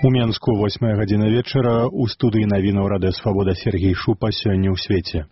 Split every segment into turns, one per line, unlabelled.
У Менску 8 гадзіна вечара у студыі навінаў Радыё Свабода Сергей Шупа сёння ў свеце.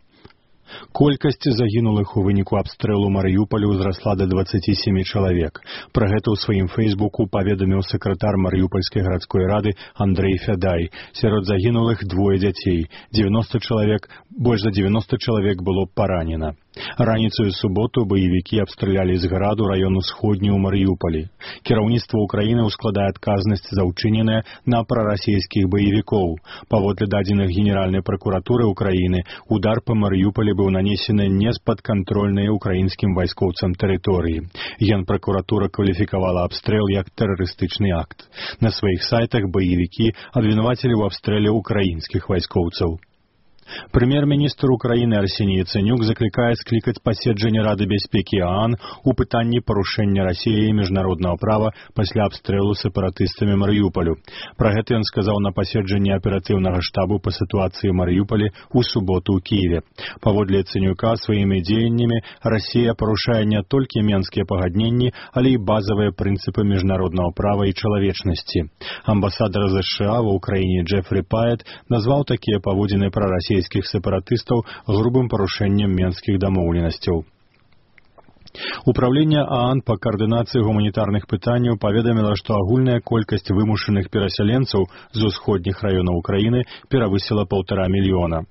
Колькасць загінулых у выніку абстрэлу Марыюполя ўзрасла да 27 чалавек. Пра гэта ў сваім фэйсбуку паведаміў сакратар Марыюпольскай гарадской рады Андрэй Фядай. Сярод загінулых двое дзяцей. 90 чалавек, больш за 90 чалавек было паранена. Раніцаю суботу баевікі абстралялі з граду раён усходні ў Марыюполі. Кіраўніцтва Украіны ўскладае адказнасць за ўчыненае на прарасійскіх баевікоў. Паводле дадзеных Генеральнай пракуратуры Украіны, удар па Марыюполі быў нанесены не з-пад кантрольнай украінскім вайскоўцам тэрыторыі. Генпракуратура кваліфікавала абстрэл як тэрарыстычны акт. На сваіх сайтах баевікі абвінавацілі ў абстрэле украінскіх вайскоўцаў. Прэм'ер-міністр Украіны Арсеній Яцэнюк заклікае склікаць паседжанне Рады бяспекі ААН у пытанні парушэння Расіяй міжнароднага права пасля абстрэлу сепаратыстамі Марыюполю. Пра гэта ён сказаў на паседжанні аператыўнага штабу па сітуацыі Марыюполі ў суботу ў Кіеве. Паводле Яцэнюка, сваімі дзеяннямі Расія парушае не толькі менскія пагадненні, але і базавыя прынцыпы міжнароднага права і чалавечнасці. Амбасадар США ва ўкраіне Джефрі Паэт назваў такія паводзіны прарасійскіх сепаратыстаў грубым парушэннем менскіх дамоўленасцяў. Управленне ААН па каардынацыі гуманітарных пытанняў паведаміла, што агульная колькасць вымушаных перасяленцаў з усходніх раёнаў Украіны перавысіла 1,5 мільёна.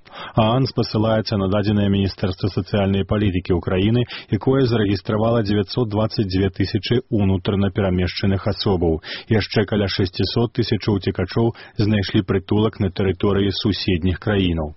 ААН спасылаецца на дадзенае Міністэрства сацыяльнай палітыкі Украіны, якое зарэгістравала 922 тысячы унутрана перамешчаных асобаў. Яшчэ каля 600 тысячаў уцекачоў знайшлі прытулак на тэрыторыі суседніх краінаў.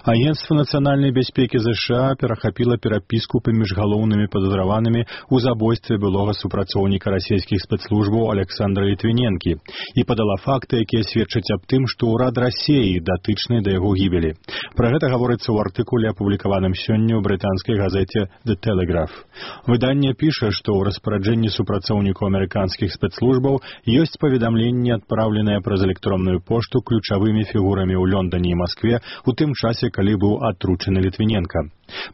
Агентство нацыянальнай бяспекі США перахапіла перапіску паміж галоўнымі падазраванымі ў забойстве былога супрацоўніка расійскіх спецслужбаў Александра Літвіненкі і падала факты, якія сведчаць аб тым, што ўрад Расіі датычны да яго гібелі. Пра гэта гаворыцца ў артыкуле, апублікаваным сёння ў брытанскай газеце The Telegraph. Выданне піша, што ў распараджэнні супрацоўнікаў амерыканскіх спецслужбаў ёсць паведамленні, адпраўленыя праз электронную пошту ключавымі фігурамі ў Лондоне і Маскве у тым часе, калі быў атручаны Літвіненка.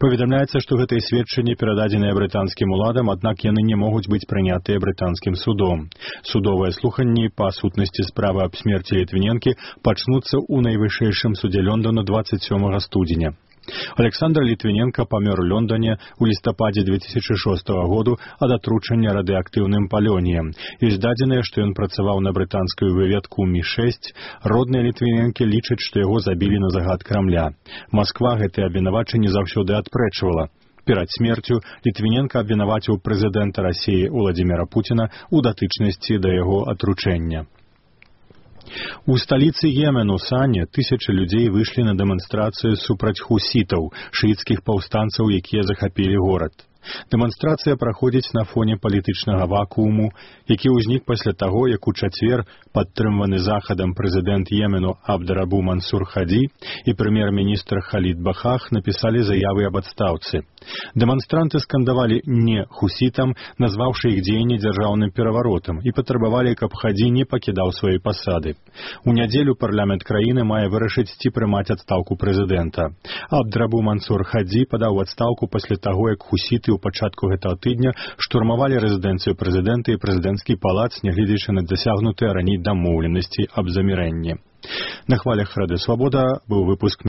Паведамляецца, што гэтыя сведчанні перададзеныя брытанскім уладам, аднак яны не могуць быць прынятыя брытанскім судом. Судовыя слуханні па сутнасці справы аб смерці Літвіненкі пачнуцца ў найвышэйшым судзе Лондона 27 студзеня. Александр Літвіненка памёр у Лондоне ў лістападзе 2006 году ад атручання радыеактыўным палёніем. Ёсць дадзеныя, што ён працаваў на брытанскую выведку Мі-6. Родныя Літвіненкі лічаць, што яго забілі на загад Крамля. Масква гэтыя абвінавачанні заўсёды адпрэчвала. Перад смерцю Літвіненка абвінаваціў прэзідэнта Расіі Уладзіміра Пуціна ў датычнасці да яго атручэння. У сталіцы Йемену Сане тысячы людзей выйшлі на дэманстрацыю супраць хусітаў, шыіцкіх паўстанцаў, якія захапілі горад. Дэманстрацыя праходзіць на фоне палітычнага вакууму, які ўзнік пасля таго, як у чацвер падтрымваны захадам прэзідэнт Йемену Абдарабу Мансур Хаді і прэм'ер-міністр Халід Бахах напісалі заявы аб адстаўцы. Дэманстранты скандавалі «не» хусітам, назваўшы іх дзеянні дзяржаўным пераваротам, і патрабавалі, каб Хаді не пакідаў свае пасады. У нядзелю парламент краіны мае вырашыць, ці прымаць адстаўку прэзідэнта. Абдарабу Мансур Хаді падаў адстаўку пасля таго, як хусіты у пачатку гэтага тыдня штурмавалі рэзідэнцыю прэзідэнта і прэзідэнцкі палац, нягледзячы на дасягнутыя раней дамоўленасці аб замірэнні. На хвалях Радыё Свабода быў выпуск